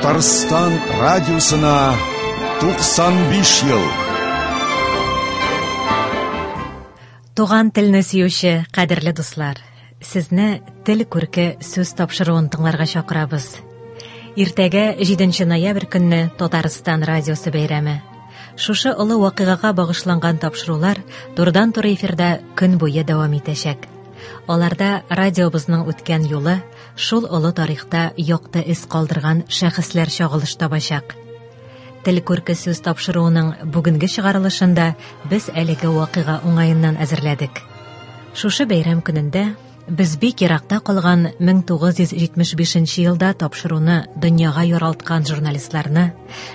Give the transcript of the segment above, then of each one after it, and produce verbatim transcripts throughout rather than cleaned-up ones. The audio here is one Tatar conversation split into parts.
Татарстан радиосына туксан биш ел. Туган телне сөюче кадерле дуслар, сезне Тел күрке сүз тапшыруын тыңларга чакырабыз. Иртәгә җиденче ноябрь көнне Татарстан радиосы бәйрәме. Шушы олы вакыйгага багышланган тапшырулар турыдан-туры эфирда көн буе дәвам итәчәк. Аларда радиобызның үткән юлы, шул олы тарихта якты эз калдырган шәхесләр чагылыш табачак. Тел күрке сүз тапшыруының бүгенге чыгарылышында без әлеге вакыйга уңаеннан әзерләдек. Шушы бәйрәм көнендә без бик еракта калган мең тугыз йөз җитмеш бишенче елда тапшыруны дөньяга яралткан журналистларны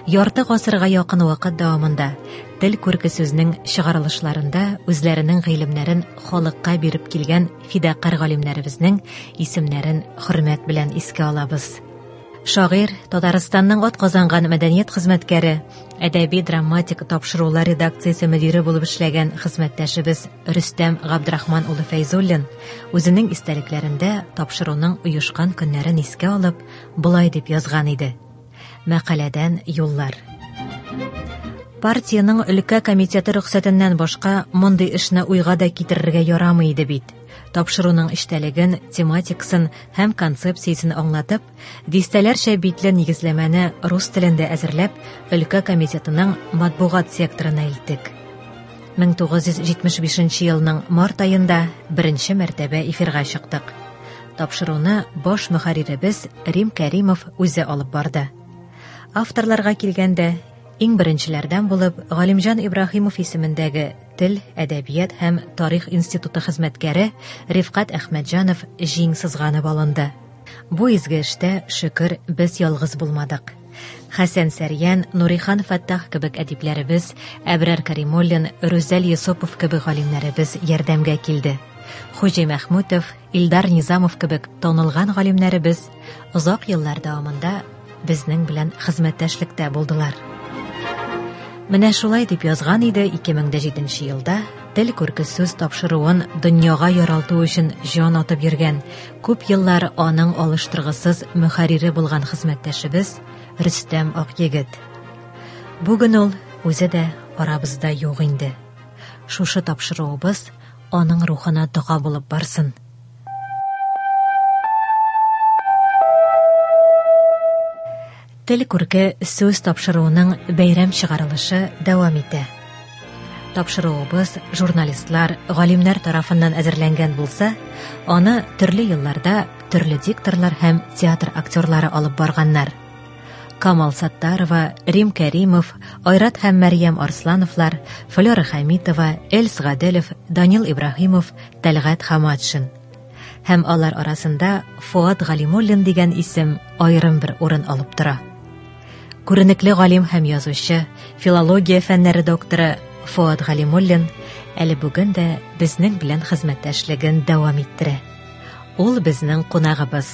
ярты гасырга якын вакыт дәвамында Тел күрке сүзнең чыгарылышларында үзләренең гыйлемнәрен халыкка биреп килгән фидакар галимнәребезнең исемнәрен хөрмәт белән искә алабыз. Шагыйрь, Татарстанның атказанган мәдәният хезмәткәре, әдәби драматик тапшырулар редакциясе мөдире булып эшләгән хезмәттәшебез Рөстәм Габдрахман улы Фәйзуллин үзенең истәлекләрендә тапшыруның оешкан көннәрен искә алып, болай дип язган иде. Мәкаләдән юллар. Партиянең өлкә комитеты рөхсәтеннән башка мондый эшне уйга да китерергә ярамый иде бит. Тапшыруның эчтәлеген, тематикасын һәм концепциясен аңлатып, дистәләрчә битле нигезләмәне рус телендә әзерләп, өлкә комитетының матбугат секторына илттек. Мең тугыз йөз җитмеш бишенче елның март аенда беренче мәртәбә эфирга чыктык. Тапшыруны баш мөхәрриребез Рим Кәримов үзе алып барды. Авторларга килгәндә, иң беренчеләрдән булып Галимҗан Ибраһимов исемендәге Тел, Әдәбият һәм Тарих институты хезмәткәре Рифкать Әхмәтҗанов җиң сызганып алынды. Бу изге эштә, шөкер, без ялгыз булмадык. Хәсән Сәрьян, Нурихан Фәттах кебек әдипләребез, Әбрар Каримуллин, Рүзәл Йосыпов кебек галимнәребез ярдәмгә килде. Хуҗи Мәхмүтов, Илдар Низамов кебек танылган галимнәребез озак еллар дәвамында безнең белән хезмәттәшлектә булдылар. Менә шулай дип язган иде ике мең дә җиденче елда Тел күрке сүз тапшыруын дөньяга яралту өчен җан атып йөргән, күп еллар аның алыштыргысыз мөхәррире булган хезмәттәшебез Рөстәм Акъегет. Бүген ул үзе дә арабызда юк инде. Шушы тапшыруыбыз аның рухына дога булып барсын. Тел күрке сүз тапшыруының бәйрәм чыгарылышы дәвам итә. Тапшыруыбыз журналистлар, галимнәр тарафыннан әзерләнгән булса, аны төрле елларда төрле дикторлар һәм театр актерлары алып барганнар. Камал Саттарова, Рим Кәримов, Айрат һәм Мәрьям Арслановлар, Флера Хәмитова, Эльс Гаделев, Данил Ибраһимов, Тәлгать Хаматшин. Һәм алар арасында Фуат Галимуллин дигән исем аерым бер урын алып тора. Күренекле галим һәм язучы, филология фәннәре докторы Фуат Галимуллин әле бүген дә безнең белән хезмәттәшлеген дәвам иттерә. Ул безнең кунагыбыз.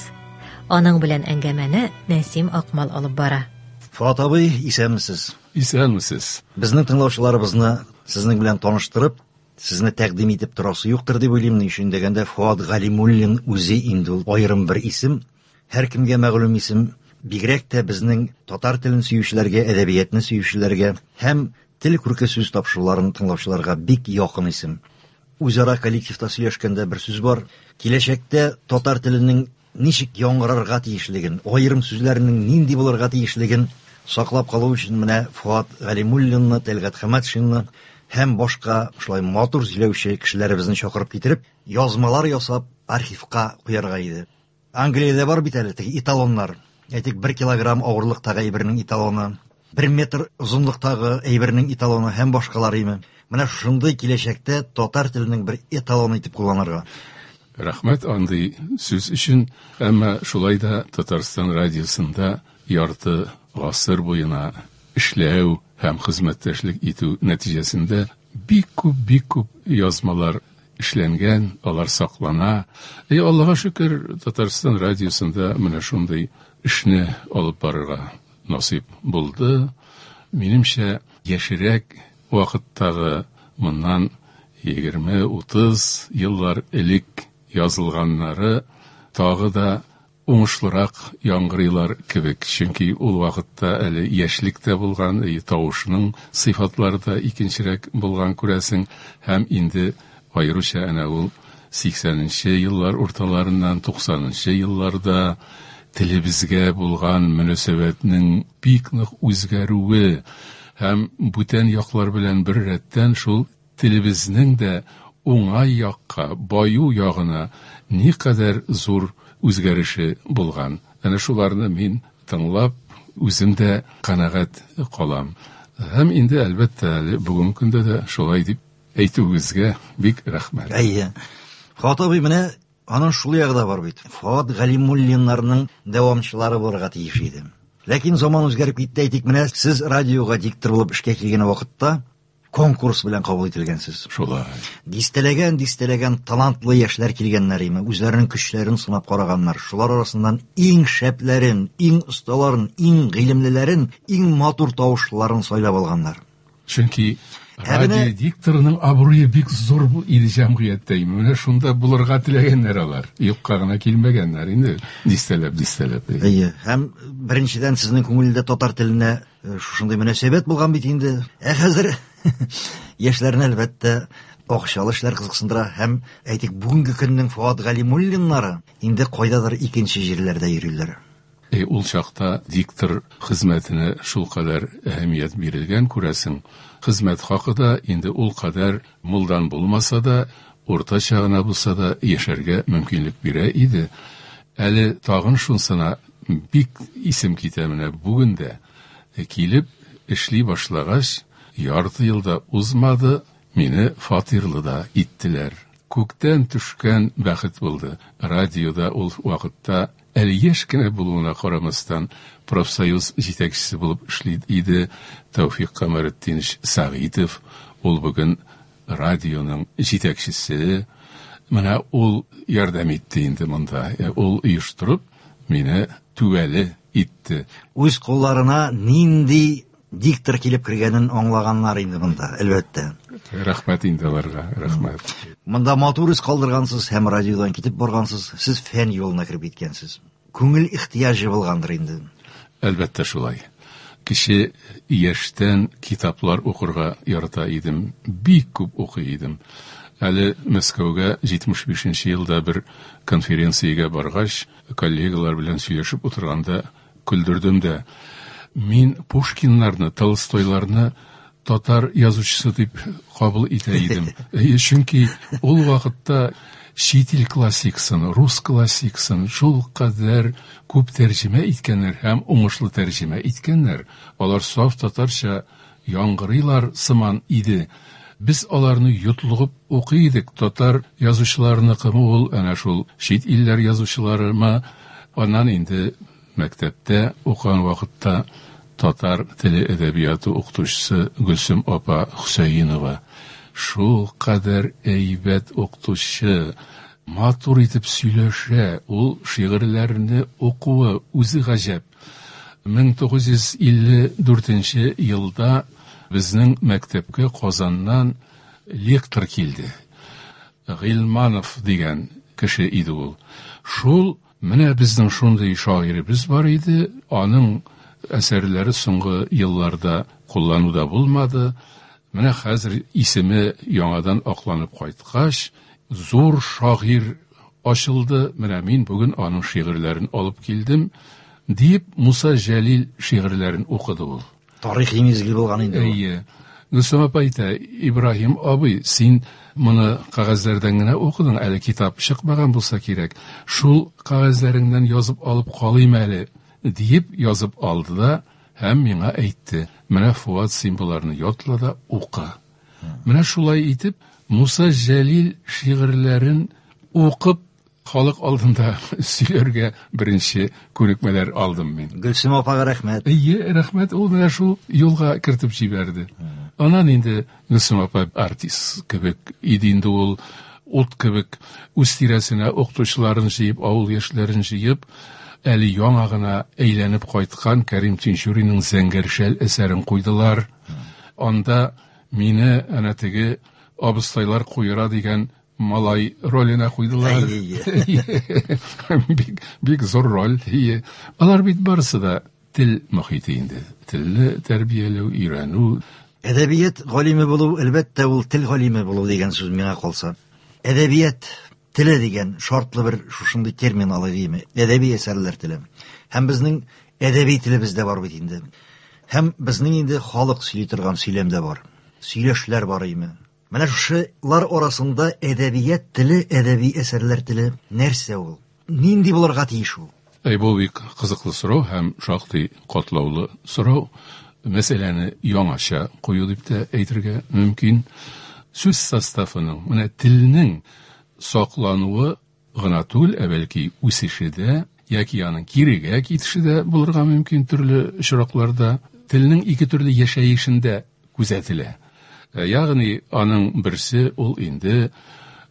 Аның белән әңгәмәне Нәсим Акмал алып бара. Фуат абый, исәнмесез? Исәнмесез. Безнең тыңлаучыларыбызны сезнең белән таныштырып, сезне тәкъдим итеп торасы юктыр дип уйлыйм. Ни өчен дигәндә, Фуат Галимуллин үзе инде ул аерым бер исем, һәркемгә мәгълүм исем. Бигрәк тә безнең татар телен сөючеләргә, әдәбиятны сөючеләргә һәм тел күрке сүз тапшыруларын тыңлаучыларга бик якын исем. Үзара коллективта сөйләшкәндә бер сүз бар. Киләчәктә татар теленең ничек яңгырарга тиешлеген, аерым сүзләренең нинди булырга тиешлеген саклап калу өчен менә Фуат Галимуллинны, Тәлгать Хаматшинны һәм башка шулай матур сөйләүче кешеләребезне чакырып китереп, язмалар ясап архивка куярга иде. Англиядә бар бит әле теге эталоннар. Әйтик, бер килограмм авырлыктагы әйбернең эталоны, бер метр озынлыктагы әйбернең эталоны һәм башкалар име. Менә шундый киләчәктә татар теленең бер эталоны итеп кулланырга. Рәхмәт андый сүз өчен, әмма шулай да Татарстан радиосында ярты гасыр буена эшләү һәм хезмәттәшлек итү нәтиҗәсендә бик күп, бик күп язмалар эшләнгән, алар саклана. И Аллаһка шөкер, Татарстан радиосында менә шундый эшне алып барырга насыйп булды. Минемчә, яшерәк вакыттагы моннан егерме, утыз еллар элек язылганнары тагы да уңышлырак яңгырыйлар кебек. Чөнки ул вакытта әле яшьлек тә булган, тавышның сыйфатлары да икенчерәк булган күрәсең, һәм инде аеруча әнә ул сиксәненче еллар урталарыннан туксанынчы елларда телебезгә булган мөнәсәбәтнең бик нык үзгәрүе һәм бүтән яклар белән бер рәттән шул телебезнең дә уңай якка, баю ягына никадәр зур үзгәреше булган. Әнә шуларны мин тыңлап, үзем дә канәгать калам. Һәм инде әлбәттә әле бүгенге көндә дә шулай дип әйтүегезгә бик рәхмәт. Әйе. Фоат абый, менә аның шул ягы да бар бит. Фоат Галимуллиннарның дәвамчылары булырга тиеш иде. Ләкин заман үзгәреп китте, әйтик, менә сез радиога диктор булып эшкә килгән вакытта конкурс белән кабул ителгәнсез. Шулай. Дистәләгән, дистәләгән талантлы яшьләр килгәннәр име, үзләренең көчләрен сынап караганнар. Шулар арасыннан иң шәпләрен, иң осталарын, иң гыйлемлеләрен, иң матур тавышлыларын сайлап алганнар. Чөнки радио дикторының абруе бик зур иде җәмгыятьтә. Менә шунда булырга теләгәннәр алар. Юкка гына килмәгәннәр инде, дистәләп, дистәләп. Әйе, һәм беренчедән сезнең күңелдә татар теленә шушындый мөнәсәбәт булган бит инде. Ә хәзер яшьләрне әлбәттә акчалы эшләр кызыксындыра һәм әйтик, бүгенге көннең Фоат Галимуллиннары инде кайдадыр икенче җирләрдә йөриләр. E, ул чакта диктор хезмәтенә шул кадәр әһәмият бирелгән, күрәсең. Хезмәт хакы да инде ул кадәр мулдан булмаса да, уртача гына булса да яшәргә мөмкинлек бирә иде. Әле тагын шунсына бик исем китә, менә бүген дә килеп эшли башлагач, ярты елда узмады, мине фатирлы да иттеләр. Күктән төшкән бәхет булды. Радиода ул вакытта әле яшь кенә булуына карамастан профсоюз җитәкчесе булып эшли иде Тәүфик Камаретдинович Сәгыйтов. Ул бүген радионың җитәкчесе. Менә ул ярдәм итте инде монда. Ул оештырып мине түбәле итте. Үз кулларына нинди диктор килеп кергәнен аңлаганнар инде монда, әлбәттә. Рәхмәт инде аларга, рәхмәт. Монда матур эз калдыргансыз һәм радиодан китеп баргансыз, сез фән юлына кереп киткәнсез. Күңел ихтыяҗы булгандыр инде. Әлбәттә шулай. Кеше яшьтән китаплар укырга ярата идем, бик күп укый идем. Әле Мәскәүгә җитмеш бишенче елда бер конференциягә баргач, коллегалар белән сөйләшеп утырганда көлдердем дә. Мин Пушкиннарны, Толстойларны татар язучысы дип кабул итә идем. Чөнки ул вакытта чит ил классикасын, рус классикасын шул кадәр күп тәрҗемә иткәннәр һәм уңышлы тәрҗемә иткәннәр. Алар саф татарча яңгырыйлар сыман иде. Без аларны йотлыгып укый идек. Татар язучыларыныкымы ул, әнә шул чит илләр язучыларымы? Аннан инде мәктәптә укыган вакытта татар теле әдәбияты укытучысы Гөлсем апа Хөсәенова шул кадәр әйбәт укытучы, матур итеп сөйләшә, ул шигырьләрне укуы үзе гаҗәп. мең тугыз йөз илле дүртенче елда безнең мәктәпкә Казаннан лектор килде. Гыйльманов дигән кеше иде ул. Шул менә безнең шундый шагыйребез бар иде, аның әсәрләре соңгы елларда куллануда булмады. Менә хәзер исеме яңадан акланып кайткач, зур шагыйрь ачылды. Менә мин бүген аның шигырьләрен алып килдем, дип Муса Җәлил шигырьләрен укыды ул. Тарихи мизгел булган инде ул. Әйе. Гөлсем апа әйтә, Ибраһим абый, син моны кәгазьләрдән генә укыдың, әле китап чыкмаган булса кирәк. Шул кәгазьләреңнән язып алып калыйм әле, диеп язып алды да һәм миңа әйтте. Менә Фуат, син боларны ятла да укы. Менә шулай итеп Муса Җәлил шигырьләрен укып халык алдында сөйләргә беренче күнекмәләр алдым мин. Гөлсем апага рәхмәт. Әйе, рәхмәт, ул менә шул юлга кертеп җибәрде. Аннан инде Гөлсем апа артист кебек иде инде ул, ут кебек үз тирәсенә укытучыларын җыеп, авыл яшьләрен җыеп, әле яңа гына әйләнеп кайткан Кәрим Тинчуринның Зәңгәр шәл әсәрен куйдылар. Анда мине әнә теге абыстайлар куера дигән малай роленә куйдылар. Бик, бик зур роль. Алар бит барысы да тел мохите инде. Телне тәрбияләү, өйрәнү. Әдәбият галиме булу, әлбәттә, ул тел галиме булу дигән сүз миңа калса. Әдәбият теле дигән шартлы бер шушындый термин алай димме? Әдәби әсәрләр теле. Һәм безнең әдәби телебез дә бар бит инде. Һәм безнең инде халык сөйли торган сөйләм дә бар. Сөйләшләр бар име. Менә шушылар арасында әдәбият теле, әдәби әсәрләр теле нәрсә ул? Нинди булырга тиеш ул? Әй, бу бик кызыклы сорау һәм шактый катлаулы сорау. Мәсьәләне яңача кую дип тә әйтергә мөмкин. Сүз составының, менә телнең саклануы гына түгел, ә бәлки үсеше дә, яки аның кирегә китеше дә булырга мөмкин төрле очракларда. Телнең ике төрле яшәешендә күзәтелә. Ягъни аның берсе ул инде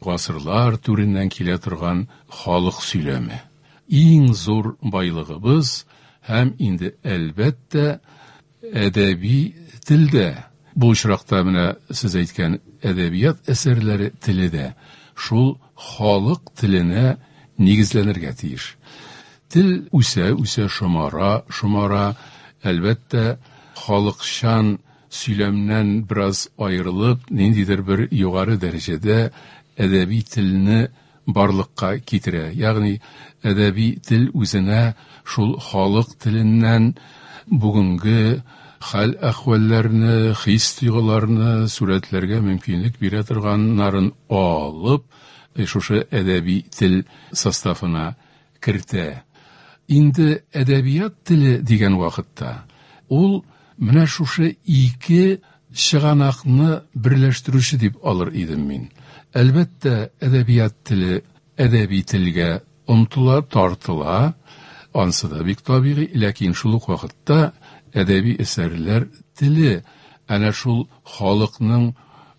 гасырлар түреннән килә торган халык сөйләме. Иң зур байлыгыбыз һәм инде әлбәттә әдәби телдә. Бу очракта менә сез әйткән әдәбият әсәрләре теле дә шул халык теленә нигезләнергә тиеш. Тел үсә, үсә, шомара, шомара, әлбәттә, халыкчан сөйләмнән бераз аерылып, ниндидер бер югары дәрәҗәдә әдәби телне барлыкка китерә. Ягъни әдәби тел үзенә шул халык теленнән бүгенге хәл әхвәлләрне, хис-тойгыларны сурәтләргә мөмкинлек бирә торганнарын алып, шушы әдәби тел составына кертә. Инде әдәбият теле дигән вакытта ул менә шушы ике чыганакны берләштерүче дип алыр идем мин. Әлбәттә, әдәбият теле әдәби телгә омтыла, тартыла, ансы да бик табигый, ләкин шул ук вакытта әдәби әсәрләр теле әнә шул халыкның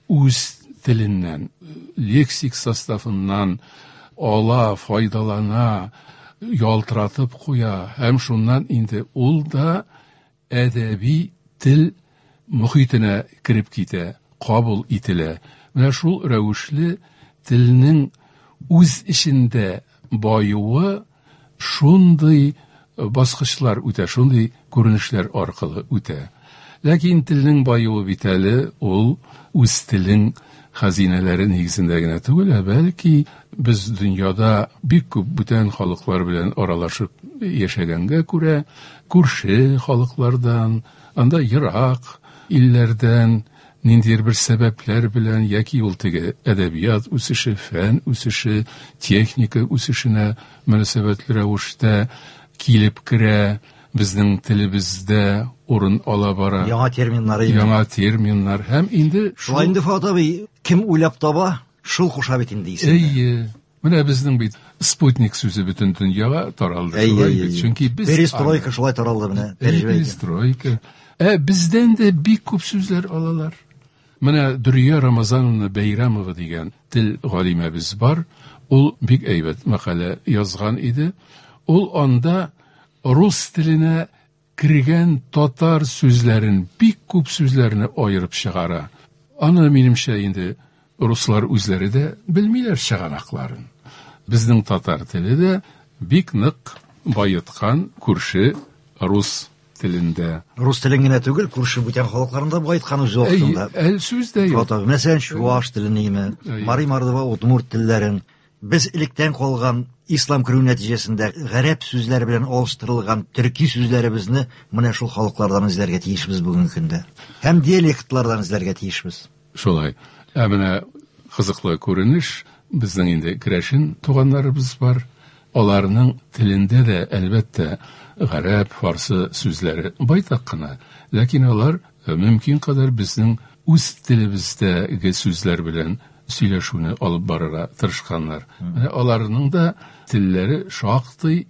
үз теленнән, лексик составыннан ала, файдалана, ялтыратып куя һәм шуннан инде ул да әдәби тел мохитенә кереп китә, кабул ителә. Менә шул рәвешле телнең үз эчендә баюы шундый баскычлар үтә, шундый күренешләр аркылы үтә. Ләкин телнең баюы бит әле ул үз телең хәзинәләре нигезендә генә түгел, ә бәлки без дөньяда бик күп бүтән халыклар белән аралашып яшәгәнгә күрә, күрше халыклардан, анда ерак илләрдән ниндидер бер сәбәпләр белән яки ул теге әдәбият үсеше, фән үсеше, техника үсешенә мөнәсәбәтле рәвештә килеп керә, безнең телебездә урын ала бара. Яңа терминнар, яңа терминнар һәм инде шулай инде Фуат абый, кем уйлап таба, шул куша бит инде исемне. Әйе. Менә безнең бит спутник сүзе бөтен дөньяга таралды шулай бит. Чөнки без перестройка шулай таралды менә. Перестройка. Ә бездән дә бик күп сүзләр алалар. Менә Дөрия Рамазановна Бәйрәмова дигән тел галимәбез бар. Ул бик әйбәт мәкалә язган иде. Ул анда рус теленә кергән татар сүзләрен, бик күп сүзләрне аерып чыгара. Аны минемчә инде руслар үзләре дә белмиләр чыганакларын. Безнең татар теле дә бик нык байыткан күрше рус телендә. Рус телен генә түгел, күрше бүтән халыкларын да байыткан үз вакытында. Әй, сүз дә юк. Мәсәлән, чуаш телен, мари, мордва, удмурт телләрен. Без электән калган ислам керү нәтиҗәсендә гарәп сүзләре белән алыштырылган төрки сүзләребезне менә шул халыклардан эзләргә тиешбез бүгенге көндә. Һәм диалектлардан эзләргә тиешбез. Шулай. Ә менә кызыклы күренеш, безнең инде керәшен туганнарыбыз бар. Аларның телендә дә әлбәттә гарәп, фарсы сүзләре байтак кына, ләкин алар мөмкин кадәр безнең үз телебездәге сүзләр белән сөйләшүне алып барырга тырышканнар. Менә аларның да телләре шактый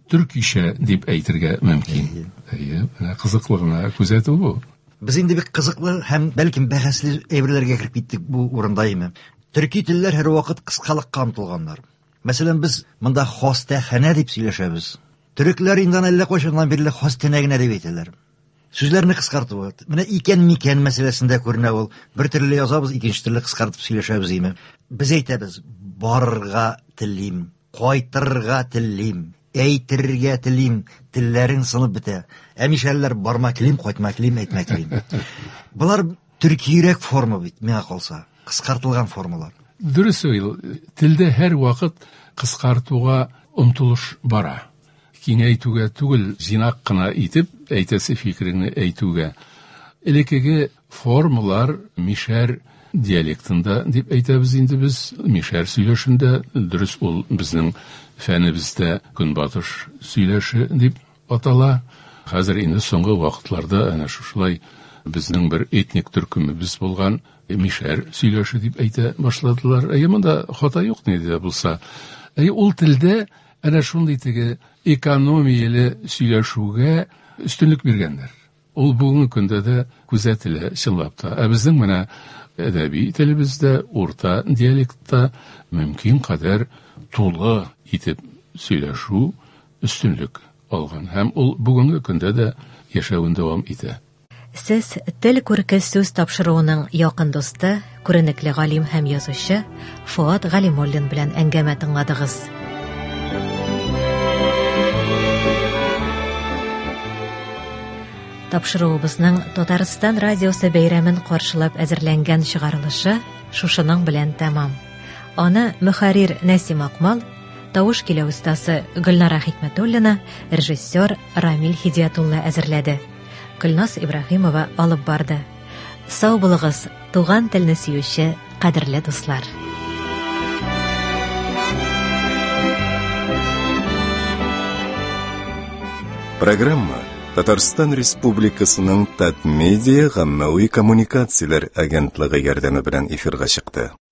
төркичә дип әйтергә мөмкин. Әйе, менә кызыклы гына күзәтү бу. Без инде бик кызыклы һәм бәлкем бәхәсле әйберләргә кереп киттек бу урында име. Төрки телләр һәрвакыт кыскалыкка омтылганнар. Мәсәлән, без монда хастаханә дип сөйләшәбез. Төрекләр инде әллә кайчаннан бирле хастаханә генә дип әйтәләр. Сүзләрне кыскарту. Менә икән микән мәсьәләсендә күренә ул. Бер төрле язабыз, икенче төрле кыскартып сөйләшәбез име. Без әйтәбез, барырга телим, кайтырга телим, әйтергә телим, телләрең сынып бетә. Ә мишәрләр барма телим, кайтма телим, әйтмә телим. Болар төркиерәк форма бит, миңа калса, кыскартылган формалар. Дөрес ул, телдә һәр вакыт кыскартуга омтылыш бара. Киңәйтүгә түгел, җыйнак кына итеп әйтәсе фикереңне әйтүгә. Элеккеге формалар мишәр диалектында дип әйтәбез инде без, мишәр сөйләшендә, дөрес ул безнең фәнебездә көнбатыш сөйләше дип атала. Хәзер инде соңгы вакытларда әнә шушылай безнең бер этник төркемебез булган мишәр сөйләше дип әйтә башладылар. Әйе, монда хата юк ни дә булса. Әйе, ул телдә әнә шундый теге экономияле сөйләшүгә өстенлек биргәннәр. Ул бүгенге көндә дә күзәтелә чынлап та. Ә безнең менә әдәби телебездә, урта диалектта мөмкин кадәр тулы итеп сөйләшү өстенлек алган һәм ул бүгенге көндә дә яшәвен дәвам итә. Сез Тел күрке сүз тапшыруының якын дусты, күренекле галим һәм язучы Фоат Галимуллин белән әңгәмә тыңладыгыз. Тапшыруыбызның Татарстан радиосы бәйрәмен каршылап әзерләнгән чыгарылышы шушының белән тәмам. Аны мөхәррир Нәсим Акмал, тавыш киләү остасы Гөлнара Хикмәтуллина, режиссер Рамил Хидиятулла әзерләде. Гөлназ Ибраһимова алып барды. Сау булыгыз, туган телне сөюче кадерле дуслар. Программа Татарстан Республикасының Татмедиа гаммәви коммуникацияләр агентлыгы ярдәме белән эфирга чыкты.